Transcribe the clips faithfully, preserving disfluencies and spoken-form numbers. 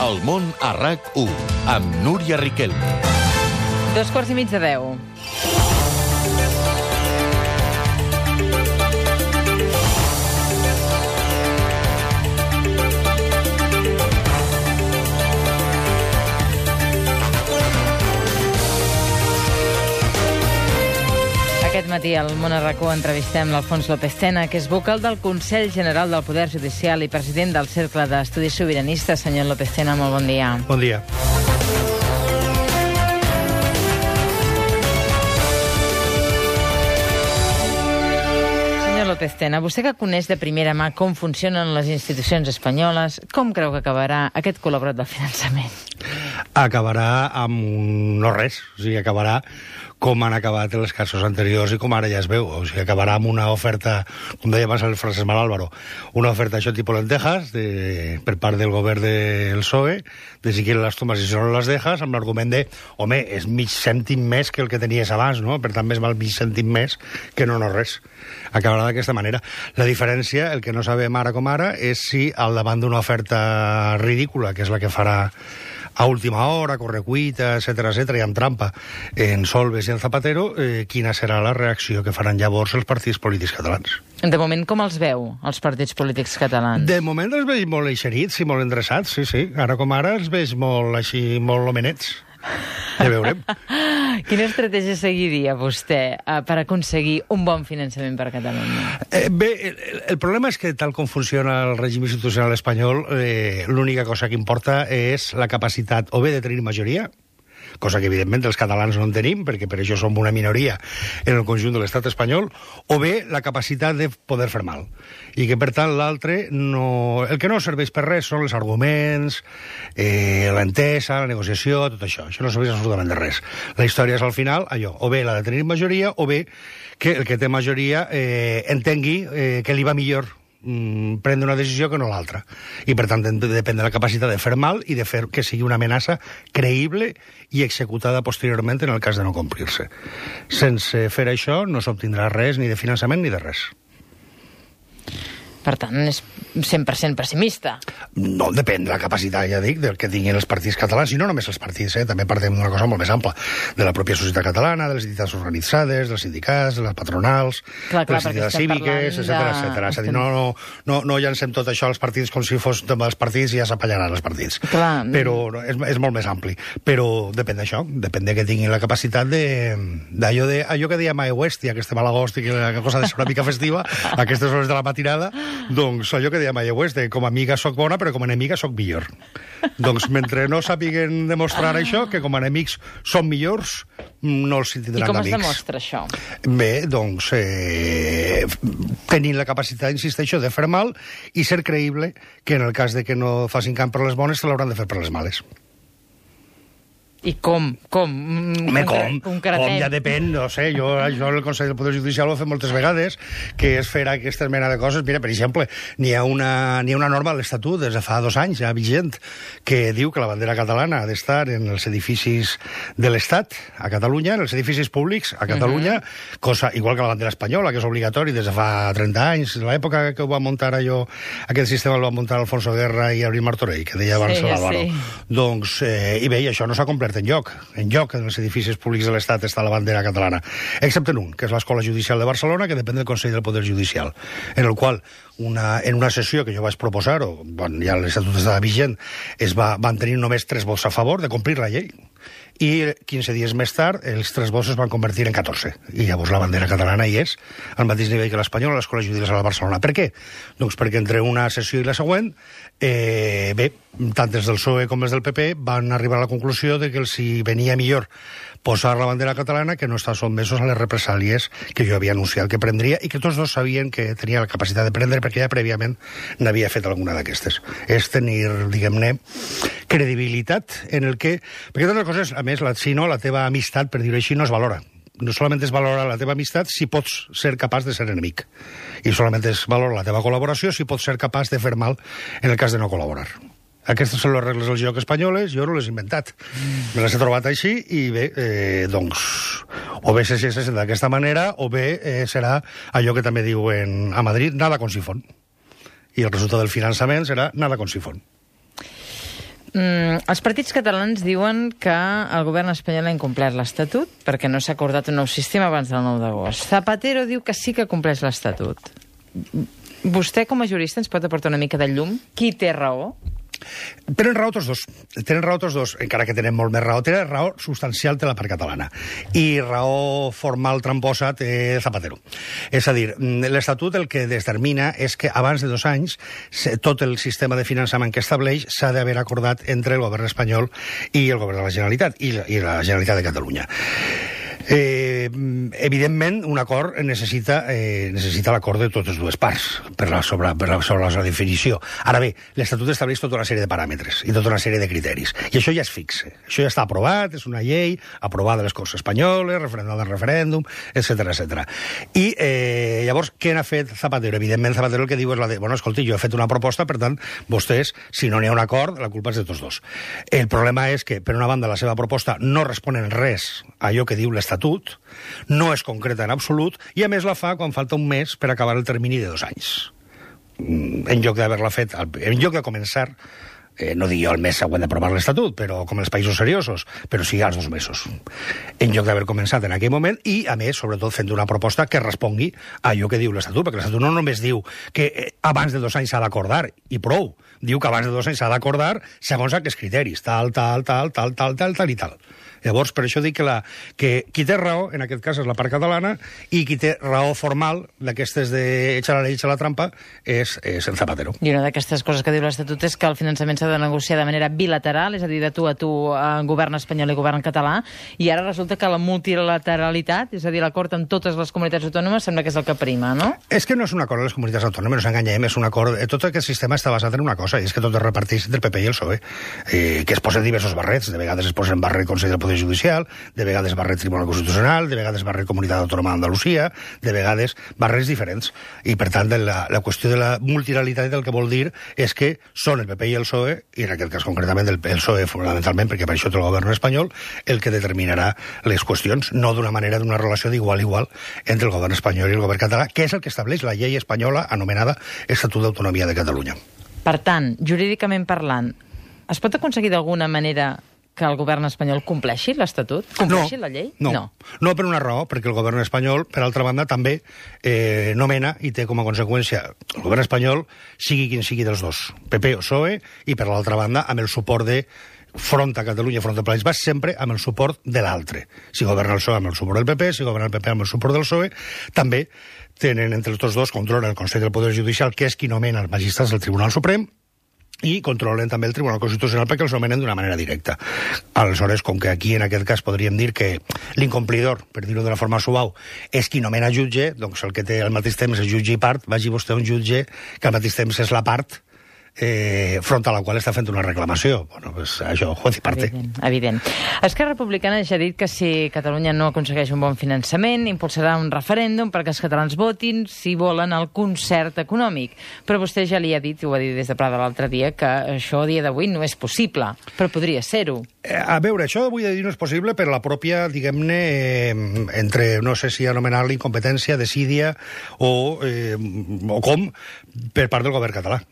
El món a RAC u, amb Núria Riquelme. Dos quarts i mig de deu. Aquest matí al Món a RAC u entrevistem l'Alfons López Tena, que és vocal del Consell General del Poder Judicial i president del Cercle d'Estudis Sobiranistes. Senyor López Tena, molt bon dia. Bon dia. Senyor López Tena, vostè que coneix de primera mà com funcionen les institucions espanyoles, com creu que acabarà aquest col·laborat del finançament? Acabarà amb un no res, o sigui, acabarà com han acabat els casos anteriors i com ara ja es veu. O sigui, acabarà amb una oferta, com deia abans el Francesc Mal Álvaro, una oferta això tipus lentejas de, per part del govern del P S O E, de si quieren las tomas y si no las dejas, amb l'argument de, home, és mig cèntim més que el que tenies abans, no? Per tant, més val mig cèntim més que no no res. Acabarà d'aquesta manera. La diferència, el que no sabem ara com ara, és si al davant d'una oferta ridícula, que és la que farà a última hora, correcuita, etcètera, etcètera, i amb trampa en Solbes i en Zapatero, eh, quina serà la reacció que faran llavors els partits polítics catalans. De moment, com els veu, els partits polítics catalans? De moment els veig molt eixerits i molt endreçats, sí, sí. Ara com ara els veig molt així, molt homenets. Ja veurem. Quina estratègia seguiria vostè eh, per aconseguir un bon finançament per a Catalunya? Eh, bé, el, el problema és que tal com funciona el règim institucional espanyol, eh, l'única cosa que importa és la capacitat o bé de tenir majoria, cosa que evidentment els catalans no en tenim, perquè per això som una minoria en el conjunt de l'estat espanyol, o bé la capacitat de poder fer mal. I que, per tant, l'altre, no... el que no serveix per res són els arguments, eh, l'entesa, la negociació, tot això. Això no serveix absolutament de res. La història és, al final, allò, o bé la de tenir majoria, o bé que el que té majoria eh, entengui eh, que li va millor prendre una decisió que no l'altra. I, per tant, depèn de la capacitat de fer mal i de fer que sigui una amenaça creïble i executada posteriorment en el cas de no complir-se. Sense fer això no s'obtindrà res ni de finançament ni de res. Per tant, és cent per cent pessimista. No, depèn de la capacitat, ja dic, del que tinguin els partits catalans, i no només els partits, eh? També partim d'una cosa molt més ampla, de la pròpia societat catalana, de les entitats organitzades, dels sindicats, de les patronals, clar, clar, de les entitats cíviques, etcètera, etcètera. És a dir, no, no, no, no llancem tot això als partits com si fos dels partits i ja s'apallaran els partits. Clar. Però és, és molt més ampli. Però depèn d'això, depèn de que tinguin la capacitat de, d'allò de, allò que deia Mae West, i aquesta malagost i que la cosa de ser una mica festiva, a aquestes hores de la matinada, doncs allò que deia Mae West, de com a amiga soc bona, però com a enemiga soc millor. Doncs mentre no sàpiguen demostrar això, que com a enemics són millors, no els tindran d'amics. I com es demostra això? Bé, doncs, eh, tenint la capacitat, insisteixo, de fer mal i ser creïble que en el cas de que no facin camp per les bones, se l'hauran de fer per les males. I com? Com? Home, com? Com ja depèn, no sé, jo això el Consell del Poder Judicial ho he fet moltes vegades, que és fer aquesta mena de coses. Mira, per exemple, n'hi ha una, n'hi ha una norma a l'Estatut des de fa dos anys, ja vigent, que diu que la bandera catalana ha d'estar en els edificis de l'Estat a Catalunya, en els edificis públics a Catalunya, uh-huh. Cosa igual que la bandera espanyola, que és obligatori des de fa trenta anys, l'època que ho va muntar allò, aquest sistema el va muntar Alfonso Guerra i Abril Martorell, que deia abans sí, l'Álvaro. Sí. Doncs, eh, i bé, això no s'ha complert en lloc. En lloc, en els edificis públics de l'Estat està la bandera catalana, excepte en un, que és l'Escola Judicial de Barcelona, que depèn del Consell del Poder Judicial, en el qual, una, en una sessió que jo vaig proposar, o quan ja l'Estatut estava vigent, es va, van tenir només tres vots a favor de complir la llei. I quinze dies més tard, els tres vots es van convertir en catorze. I llavors la bandera catalana hi és, al mateix nivell que l'espanyola, a l'Escola Judicial de Barcelona. Per què? Doncs perquè entre una sessió i la següent, eh, bé, tant els del P S O E com els del P P van arribar a la conclusió de que els hi venia millor posar la bandera catalana que no estar sotmesos a les represàlies que jo havia anunciat que prendria i que tots dos sabien que tenia la capacitat de prendre perquè ja prèviament n'havia fet alguna d'aquestes. És tenir, diguem-ne, credibilitat en el que... Perquè totes les coses, a més, la, si no, la teva amistat, per dir-ho així, no es valora. No solament es valora la teva amistat si pots ser capaç de ser enemic. I solament es valora la teva col·laboració si pots ser capaç de fer mal en el cas de no col·laborar. Aquestes són les regles del joc espanyoles, jo no les he inventat. Me les he trobat així i bé, eh, doncs, o bé se sent d'aquesta manera o bé eh, serà allò que també diuen a Madrid, nada con sifón. I el resultat del finançament serà nada con sifón. Mm, els partits catalans diuen que el govern espanyol ha incomplert l'Estatut perquè no s'ha acordat un nou sistema abans del nou d'agost. Zapatero diu que sí que compleix l'Estatut. Vostè, com a jurista, ens pot aportar una mica de llum? Qui té raó? Tenen raó tots dos. Tenen raó tots dos, encara que tenen molt més raó. Tenen raó substancial de la part catalana. I raó formal tramposa té Zapatero. És a dir, l'Estatut el que determina és que abans de dos anys tot el sistema de finançament que estableix s'ha d'haver acordat entre el govern espanyol i el govern de la Generalitat, i la, i la Generalitat de Catalunya. Eh, evidentment, un acord necessita, eh, necessita l'acord de totes dues parts per la, sobre, per la, sobre la definició. Ara bé, l'Estatut estableix tota una sèrie de paràmetres i tota una sèrie de criteris. I això ja es fixa. Això ja està aprovat, és una llei aprovada a les Corts Espanyoles, referendada en referèndum, etcètera, etcètera. I eh, llavors, què n'ha fet Zapatero? Evidentment, Zapatero el que diu és la de, bueno, escolti, jo he fet una proposta, per tant, vostès, si no n'hi ha un acord, la culpa és de tots dos. El problema és que, per una banda, la seva proposta no respon en res a allò que diu l'Estatut, no és concreta en absolut, i a més la fa quan falta un mes per acabar el termini de dos anys. En lloc d'haver-la fet, en lloc de començar, eh, no dic jo el mes següent d'aprovar l'Estatut, però com els països seriosos, però sí als dos mesos. En lloc d'haver començat en aquell moment, i a més, sobretot, fent una proposta que respongui a allò que diu l'Estatut, perquè l'Estatut no només diu que abans de dos anys s'ha d'acordar, i prou, diu que abans de dos anys s'ha d'acordar segons aquests criteris, tal, tal, tal, tal, tal, tal, tal i tal. Llavors, per això dic que, la, que qui té raó, en aquest cas, és la part catalana, i qui té raó formal d'aquestes de echar la llei, echar la trampa, és, és el Zapatero. I una d'aquestes coses que diu l'Estatut és que el finançament s'ha de negociar de manera bilateral, és a dir, de tu a tu, eh, govern espanyol i govern català, i ara resulta que la multilateralitat, és a dir, l'acord amb totes les comunitats autònomes, sembla que és el que prima, no? És que no és un acord de les comunitats autònomes, no ens enganyem, és un acord... Tot aquest sistema està basat en una cosa, i és que tot es reparteix entre el P P i el P S O E, eh, que es posen diversos barrets, de vegades es posen barret Consell del Poder Judicial, de vegades barret Tribunal Constitucional, de vegades barret Comunitat Autònoma d'Andalusia, de vegades barrets diferents. I, per tant, la, la qüestió de la multilateralitat el que vol dir és que són el P P i el P S O E, i en aquest cas concretament el P S O E fonamentalment, perquè per això té el govern espanyol, el que determinarà les qüestions, no d'una manera d'una relació d'igual a igual entre el govern espanyol i el govern català, que és el que estableix la llei espanyola anomenada Estatut d'Autonomia de Catalunya. Per tant, jurídicament parlant, es pot aconseguir d'alguna manera que el govern espanyol compleixi l'Estatut? Compleixi no, la llei? No. no, no per una raó, perquè el govern espanyol, per altra banda, també eh, nomena i té com a conseqüència el govern espanyol, sigui quin sigui dels dos, P P o P S O E, i per l'altra banda, amb el suport de front a Catalunya, front al País Basc, sempre amb el suport de l'altre. Si governa el P S O E amb el suport del P P, si governa el P P amb el suport del P S O E, també tenen entre els tots dos, controlen el Consell del Poder Judicial, que és qui nomena els magistrats del Tribunal Suprem, i controlen també el Tribunal Constitucional perquè els nomenen d'una manera directa. Aleshores, com que aquí en aquest cas podríem dir que l'incomplidor, per dir-ho de la forma suau, és qui nomena jutge, doncs el que té al mateix temps és jutge i part, vagi vostè a un jutge que al mateix temps és la part eh, front a la qual està fent una reclamació. Bueno, pues això, juez i parte. Evident, evident. Esquerra Republicana ja ha dit que si Catalunya no aconsegueix un bon finançament, impulsarà un referèndum perquè els catalans votin si volen el concert econòmic. Però vostè ja li ha dit, i ho va dir des de Prada l'altre dia, que això a dia d'avui no és possible, però podria ser-ho. Eh, a veure, això avui de dir no és possible per la pròpia, diguem-ne, eh, entre, no sé si anomenar-la incompetència, desídia o, eh, o com, per part del govern català.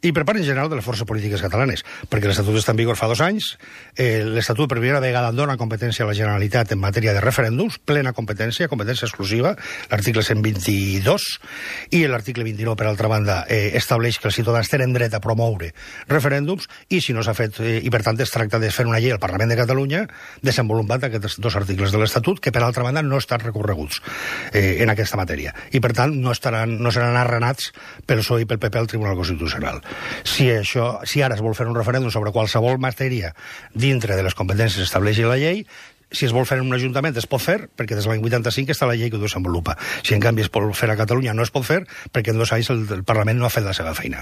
I per part en general de les forces polítiques catalanes, perquè l'Estatut està en vigor fa dos anys, eh, l'Estatut per primera vegada dona competència a la Generalitat en matèria de referèndums, plena competència, competència exclusiva, l'article cent vint-i-dos, i l'article vint-i-nou, per altra banda, eh, estableix que els ciutadans tenen dret a promoure referèndums, i si no s'ha fet, eh, i per tant es tracta de fer una llei al Parlament de Catalunya desenvolupant aquests dos articles de l'Estatut, que per altra banda no estan recorreguts eh, en aquesta matèria, i per tant no, estaran, no seran arrenats pel P S O E i pel P P al Tribunal Constitucional. Si, això, si ara es vol fer un referèndum sobre qualsevol matèria dintre de les competències que estableixi la llei, si es vol fer en un ajuntament es pot fer, perquè des de l'any vuitanta-cinc està la llei que ho desenvolupa. Si en canvi es pot fer a Catalunya no es pot fer, perquè en dos anys el, el Parlament no ha fet la seva feina.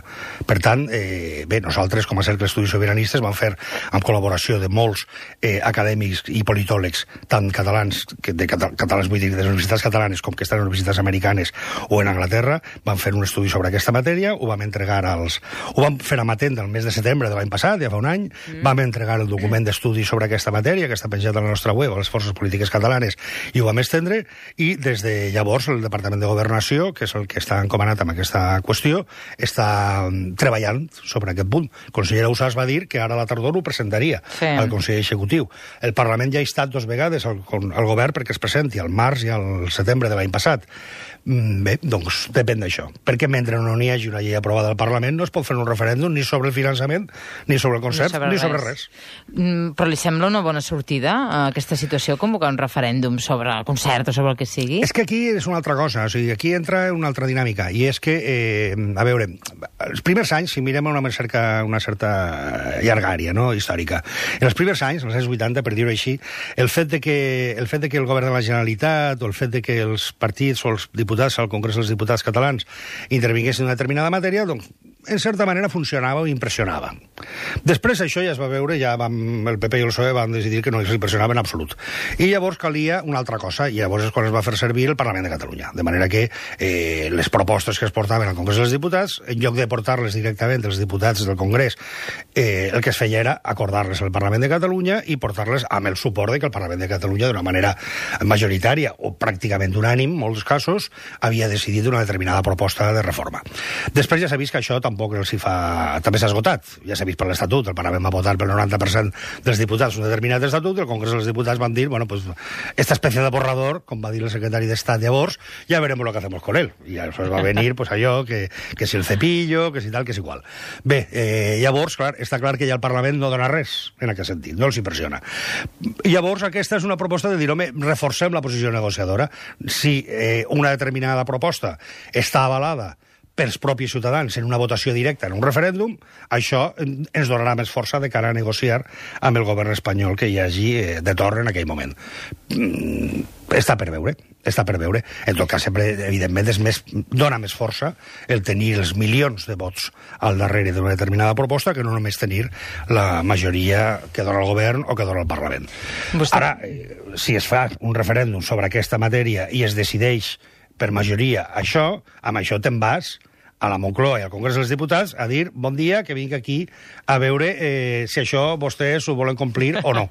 Per tant, eh, bé, nosaltres com a Cercle d'Estudis Sobiranistes vam fer, amb col·laboració de molts eh, acadèmics i politòlegs, tant catalans, que de catalans vull dir, de les universitats catalanes com que estan en universitats americanes o en Anglaterra, vam fer un estudi sobre aquesta matèria, ho vam entregar als... Ho vam fer amatent el mes de setembre de l'any passat, ja fa un any, mm. vam entregar el document d'estudi sobre aquesta matèria, que està penjat a la nostra web a les forces polítiques catalanes i ho vam estendre, i des de llavors el Departament de Governació, que és el que està encomanat amb aquesta qüestió, està treballant sobre aquest punt. El conseller Ausàs va dir que ara a la tardor ho presentaria sí. al Consell Executiu. El Parlament ja ha estat dos vegades al, al govern perquè es presenti al març i al setembre de l'any passat. Bé, doncs depèn d'això. Perquè mentre no n'hi hagi una llei aprovada al Parlament no es pot fer un referèndum ni sobre el finançament, ni sobre el concert, ni sobre, ni sobre res. Mm, però li sembla una bona sortida a aquesta situació convocar un referèndum sobre el concert o sobre el que sigui? És que aquí és una altra cosa, o sigui, aquí entra una altra dinàmica, i és que, eh, a veure, els primers anys, si mirem una, cerca, una certa llargària, no?, històrica, en els primers anys, als anys vuitanta, per dir-ho així, el fet de que el fet de que el govern de la Generalitat o el fet de que els partits o els diputats al Congrés dels Diputats catalans intervinguessin en una determinada matèria, doncs, en certa manera funcionava o impressionava. Després això ja es va veure, ja vam, el P P i el P S O E van decidir que no els impressionava en absolut. I llavors calia una altra cosa, i llavors és quan es va fer servir el Parlament de Catalunya. De manera que eh, les propostes que es portaven al Congrés dels Diputats, en lloc de portar-les directament als diputats del Congrés, eh, el que es feia era acordar-les al Parlament de Catalunya i portar-les amb el suport de que el Parlament de Catalunya, d'una manera majoritària o pràcticament unànim, en molts casos, havia decidit una determinada proposta de reforma. Després ja s'ha vist que això tampoc els hi fa... també s'ha esgotat. Ja s'ha vist per l'Estatut, el Parlament va votar pel noranta per cent dels diputats un determinat estatut, i el Congrés dels Diputats van dir, bueno, pues, esta especie de borrador, com va dir el secretari d'Estat llavors, ja veremos lo que hacemos con él. I això va venir, pues, allò, que, que si el cepillo, que si tal, que si igual. Bé, eh, llavors, clar, està clar que ja el Parlament no dona res en aquest sentit, no els impressiona. I llavors aquesta és una proposta de dir, home, reforcem la posició negociadora. Si eh, una determinada proposta està avalada pels propis ciutadans en una votació directa en un referèndum, això ens donarà més força de cara a negociar amb el govern espanyol que hi hagi eh, de torn en aquell moment. Mm, està per veure, està per veure. En tot cas, sempre, evidentment, és més, dona més força el tenir els milions de vots al darrere d'una determinada proposta que no només tenir la majoria que dona el govern o que dona el Parlament. Vostè... Ara, eh, si es fa un referèndum sobre aquesta matèria i es decideix per majoria això, amb això te'n vas a la Moncloa i al Congrés dels Diputats a dir, bon dia, que vinc aquí a veure eh, si això vostès ho volen complir o no.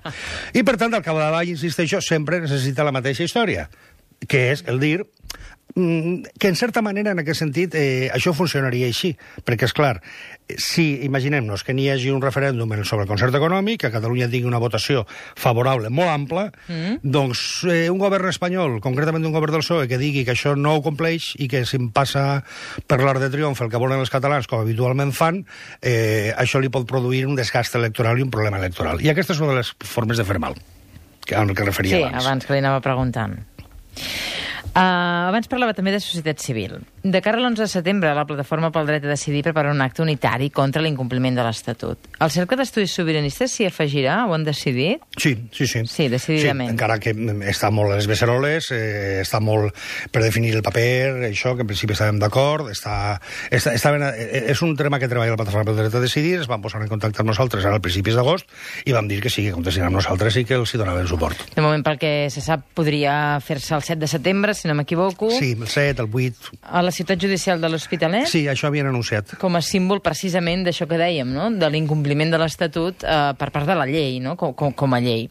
I, per tant, al capdavall, insisteixo, sempre necessita la mateixa història, que és el dir que, en certa manera, en aquest sentit, eh, això funcionaria així. Perquè, és clar, si, imaginem-nos que n'hi hagi un referèndum sobre el concert econòmic, que a Catalunya tingui una votació favorable molt ampla, mm. doncs eh, un govern espanyol, concretament un govern del P S O E, que digui que això no ho compleix i que si em passa per l'art de triomf el que volen els catalans, com habitualment fan, eh, això li pot produir un desgast electoral i un problema electoral. I aquesta és una de les formes de fer mal, que, al que referia sí, abans. Sí, abans que li anava preguntant. Uh, abans parlava també de societat civil. De cara a l'onze de setembre, la Plataforma pel Dret a Decidir prepara un acte unitari contra l'incompliment de l'Estatut. El Cercle d'Estudis Sobiranistes s'hi afegirà? Ho han decidit? Sí, sí, sí. Sí, decididament. Sí, encara que està molt a les beceroles, eh, està molt per definir el paper, això, que en principi estàvem d'acord, està, està, està ben, és un tema que treballa la Plataforma pel Dret a Decidir, es van posar en contacte amb nosaltres ara al principis d'agost i vam dir que sí, que contestin amb nosaltres i que els hi donaven suport. De moment, pel que se sap, podria fer-se el set de setembre, si no m'equivoco. Sí, el set, el vuit... A la ciutat judicial de l'Hospitalet? Sí, això havien anunciat. Com a símbol, precisament, d'això que dèiem, no?, de l'incompliment de l'Estatut eh, per part de la llei, no?, com, com, com a llei.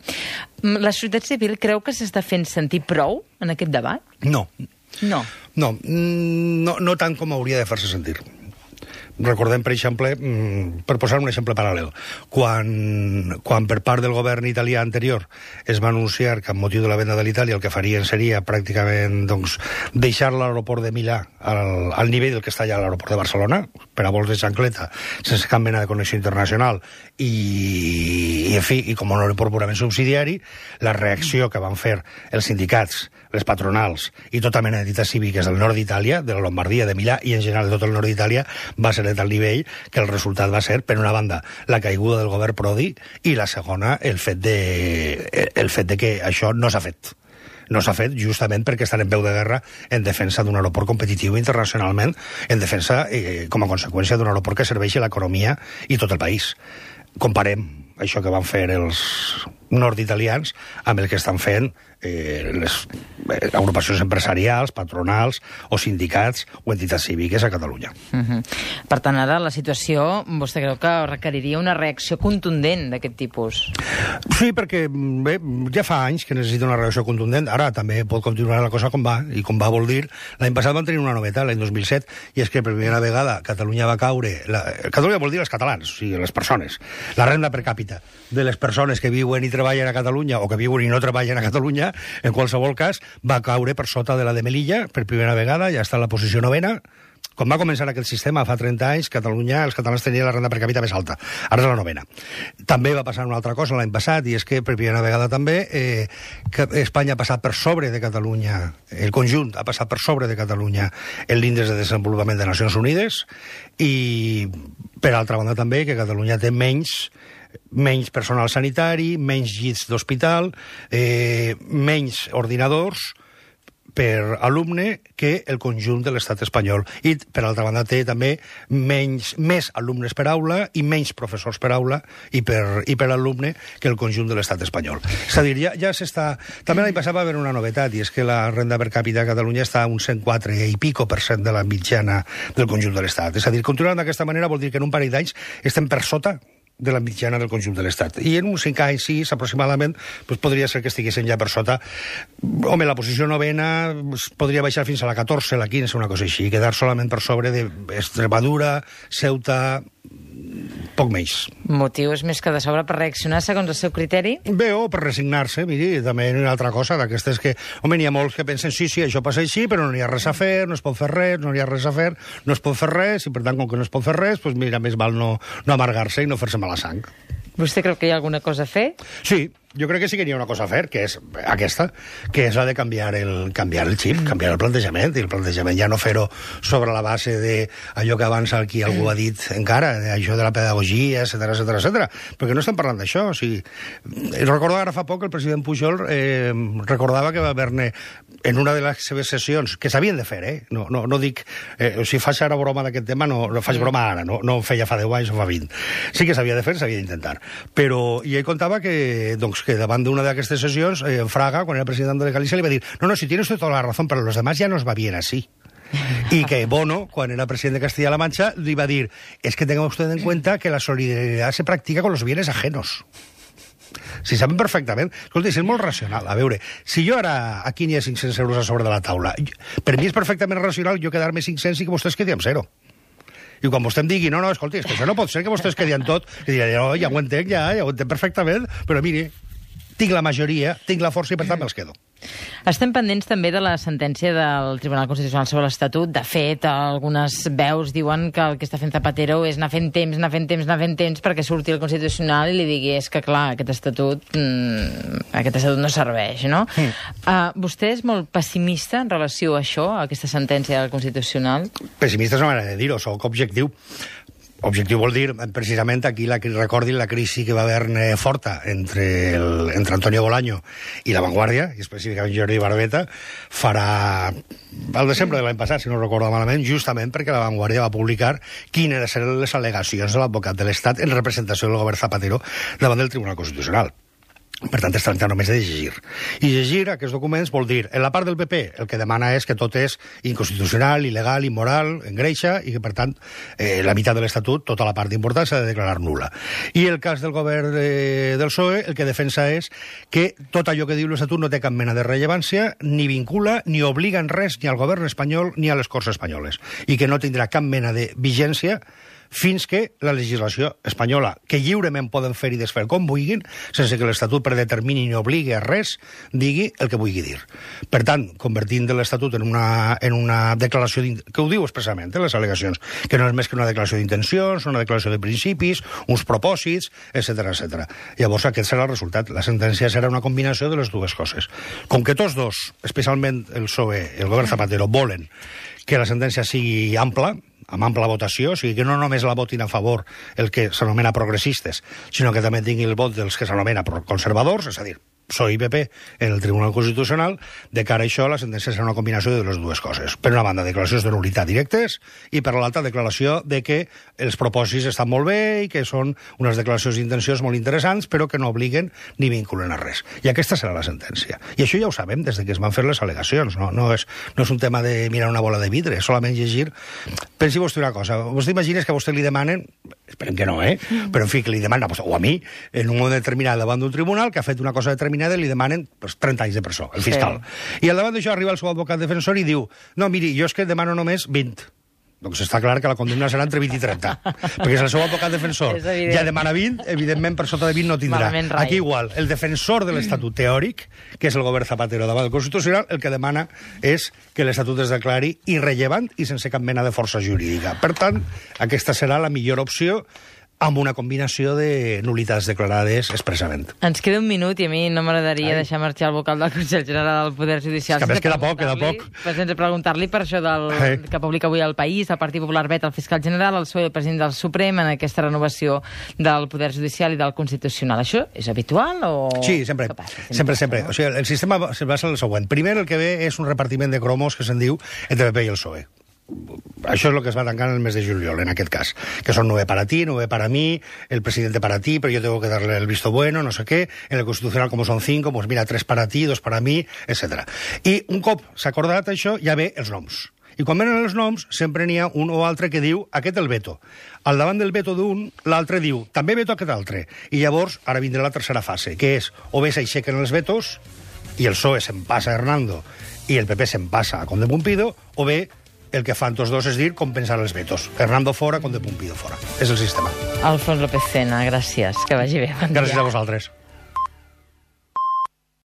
La societat civil creu que s'està fent sentir prou en aquest debat? No. No. No, no, no tant com hauria de fer-se sentir. Recordem, per exemple, per posar un exemple paral·lel, quan, quan per part del govern italià anterior es va anunciar que amb motiu de la venda de l'Itàlia el que farien seria pràcticament doncs, deixar l'aeroport de Milà al, al nivell del que està allà a l'aeroport de Barcelona, per a vols de xancleta, sense cap mena de connexió internacional, i, i en fi, i com un aeroport purament subsidiari, la reacció que van fer els sindicats, les patronals i tota mena d'entitats cíviques del nord d'Itàlia, de la Lombardia, de Milà i en general de tot el nord d'Itàlia, va ser de tal nivell que el resultat va ser, per una banda, la caiguda del govern Prodi i la segona, el fet de, el fet de que això no s'ha fet. No s'ha fet justament perquè estan en peu de guerra en defensa d'un aeroport competitiu internacionalment, en defensa, eh, com a conseqüència d'un aeroport que serveixi a l'economia i tot el país. Comparem això que van fer els nord-italians amb el que estan fent eh, les eh, agrupacions empresarials, patronals o sindicats o entitats cíviques a Catalunya. Uh-huh. Per tant, ara la situació, vostè creu que requeriria una reacció contundent d'aquest tipus? Sí, perquè bé, ja fa anys que necessita una reacció contundent. Ara també pot continuar la cosa com va, i com va vol dir, l'any passat van tenir una novetat, l'any dos mil set, i és que per primera vegada Catalunya va caure... La... Catalunya vol dir els catalans, o sigui, les persones. La renda per càpita de les persones que viuen i treballen a Catalunya o que viuen i no treballen a Catalunya, en qualsevol cas, va caure per sota de la de Melilla, per primera vegada, ja està en la posició novena. Quan va començar aquest sistema, fa trenta anys, Catalunya, els catalans tenien la renda per càpita més alta. Ara és la novena. També va passar una altra cosa l'any passat, i és que, per primera vegada també, eh, que Espanya ha passat per sobre de Catalunya, el conjunt ha passat per sobre de Catalunya en l'índex de desenvolupament de Nacions Unides, i, per altra banda, també, que Catalunya té menys menys personal sanitari, menys llits d'hospital, eh, menys ordinadors per alumne que el conjunt de l'estat espanyol. I, per altra banda, té també menys, més alumnes per aula i menys professors per aula i per, i per alumne que el conjunt de l'estat espanyol. És a dir, ja, ja s'està... També l'any passat va haver una novetat, i és que la renda per càpita a Catalunya està a un cent quatre i pico per cent de la mitjana del conjunt de l'estat. És a dir, continuant d'aquesta manera vol dir que en un parell d'anys estem per sota de la mitjana del conjunt de l'Estat. I en uns cinc anys, sis, aproximadament, doncs podria ser que estiguessin ja per sota. Home, la posició novena podria baixar fins a la catorze, la quinze, una cosa així, quedar solament per sobre d'Extremadura, Ceuta, poc menys. Motius més que de sobre per reaccionar segons el seu criteri? Bé, o per resignar-se, miri, també una altra cosa d'aquestes que, home, n'hi ha molts que pensen, sí, sí, això passa així, però no hi ha res a fer, no es pot fer res, no hi ha res a fer, no es pot fer res, i per tant, com que no es pot fer res, doncs mira, més val no, no amargar-se i no fer-se mala sang. Vostè creu que hi ha alguna cosa a fer? Sí, jo crec que sí que hi ha una cosa a fer, que és aquesta, que és la de canviar el, canviar el xip, canviar el plantejament, i el plantejament ja no fer-ho sobre la base d'allò que abans aquí algú ha dit encara, això de la pedagogia, etcètera, etcètera, etcètera, perquè no estem parlant d'això. O sigui, recordo ara fa poc el president Pujol eh, recordava que va haver-ne en una de les seves sessions, que s'havien de fer, eh? No, no, no dic... Eh, si faig ara broma d'aquest tema, no, no faig broma ara, no, no feia fa deu anys o fa vint. Sí que s'havia de fer, s'havia d'intentar. Però, i ell contava que, doncs, que davant d'una d'aquestes sessions, eh, Fraga, quan era president de Galícia, li va dir, no, no, si tienes toda la razón, pero los demás ya nos va bien así. Y que Bono, quan era president de Castilla-La Mancha, li va dir, es que tenga usted en cuenta que la solidaridad se practica con los bienes ajenos. Si saben perfectament. Escolta, és molt racional. A veure, si jo ara aquí n'hi ha cinc-cents euros a sobre de la taula, per mi és perfectament racional jo quedar-me cinc-cents i que vostès quedi amb zero. I quan vostè em digui, no, no, escolti, és que això no pot ser que vostès quedi amb tot, que diré, no, ja ho entenc, ja, ja ho entenc perfectament, però miri, tinc la majoria, tinc la força i per tant me'ls quedo. Estem pendents també de la sentència del Tribunal Constitucional sobre l'Estatut. De fet, algunes veus diuen que el que està fent Zapatero és anar fent temps, anar fent temps, anar fent temps perquè surti el Constitucional i li digui és que, clar, aquest estatut, mmm, aquest estatut no serveix, no? Mm. Uh, vostè és molt pessimista en relació a això, a aquesta sentència del Constitucional? Pessimista és una manera de dir-ho, soc objectiu. Objectiu vol dir, precisament, aquí la, recordin la crisi que va haver forta entre, el, entre Antonio Bolaño i La Vanguardia, i específicament Jordi Barbeta, farà el desembre de l'any passat, si no recordo malament, justament perquè La Vanguardia va publicar quines eren les al·legacions de l'advocat de l'Estat en representació del govern Zapatero davant del Tribunal Constitucional. Per tant, es tracta només de llegir. I llegir aquests documents vol dir, en la part del P P, el que demana és que tot és inconstitucional, il·legal, immoral, engreixa, i que, per tant, eh, la meitat de l'Estatut, tota la part important, s'ha de declarar nul·la. I el cas del govern eh, del P S O E, el que defensa és que tot allò que diu l'Estatut no té cap mena de rellevància, ni vincula, ni obliga en res ni al govern espanyol ni a les Corts espanyoles, i que no tindrà cap mena de vigència fins que la legislació espanyola, que lliurement poden fer i desfer com vulguin, sense que l'Estatut predetermini ni obligui a res, digui el que vulgui dir. Per tant, convertint l'Estatut en una, en una declaració, que ho diu expressament, eh, les al·legacions, que no és més que una declaració d'intencions, una declaració de principis, uns propòsits, etcètera, etcètera. Llavors, aquest serà el resultat. La sentència serà una combinació de les dues coses. Com que tots dos, especialment el P S O E i el govern Zapatero, volen que la sentència sigui ampla, amb ampla votació, o sigui que no només la votin a favor el que s'anomena progressistes, sinó que també tingui el vot dels que s'anomena conservadors, és a dir, P S O E i P P en el Tribunal Constitucional. De cara a això, la sentència serà una combinació de les dues coses. Per una banda, declaracions de nul·litat directes, i per l'altra, declaració de que els propòsits estan molt bé i que són unes declaracions d'intencions molt interessants, però que no obliguen ni vinculen a res. I aquesta serà la sentència. I això ja ho sabem des de que es van fer les al·legacions. No, no, és, no és un tema de mirar una bola de vidre, és solament llegir. Pensi vostè una cosa. Vostè imagines que a vostè li demanen, esperem que no, eh? Però en fi, que li demanen, o a mi, en un moment determinat davant d'un tribunal que ha fet una cosa determinada, li demanen pues, trenta anys de presó, el fiscal. Sí. I al davant d'això arriba el seu advocat defensor i diu, no, miri, jo és que demano només vint. Doncs està clar que la condemna serà entre vint i trenta. Perquè si el seu advocat defensor ja demana vint, evidentment per sota de vint no tindrà. Aquí igual, el defensor de l'Estatut teòric, que és el govern Zapatero davant del Constitucional, el que demana és que l'Estatut es declari irrellevant i sense cap mena de força jurídica. Per tant, aquesta serà la millor opció, amb una combinació de nul·litats declarades expressament. Ens queda un minut i a mi no m'agradaria deixar marxar el vocal del Consell General del Poder Judicial. És que a més queda poc, queda poc. Sense preguntar-li per això del, hey. que publica avui El País, el Partit Popular vet el fiscal general, el P S O E i el president del Suprem en aquesta renovació del Poder Judicial i del Constitucional. Això és habitual o...? Sí, sempre. Sempre, sempre. O sigui, el sistema es basa en el següent. Primer, el que ve és un repartiment de cromos que se'n diu entre P P i el P S O E. Això és el que es va tancar en el mes de juliol, en aquest cas. Que son nueve para ti, nueve para mí, el presidente para ti, pero yo tengo que darle el visto bueno, no sé qué. En el Constitucional, como son cinco, pues mira, tres para ti, dos para mí, etcètera. I un cop s'ha acordat això, ja ve els noms. I quan venen els noms, sempre n'hi ha un o altre que diu aquest el veto. Al davant del veto d'un, l'altre diu també veto aquest altre. I llavors, ara vindrà la tercera fase, que és o bé s'aixequen els vetos, i el P S O E se'n passa a Hernando, i el P P se'n passa a Conde Pumpido, o bé el que fan tots dos és dir compensar els vetos. Hernando fora, Conde Pumpido fora. És el sistema. Alfons López Tena, gràcies. Que vagi bé. Gràcies a vosaltres.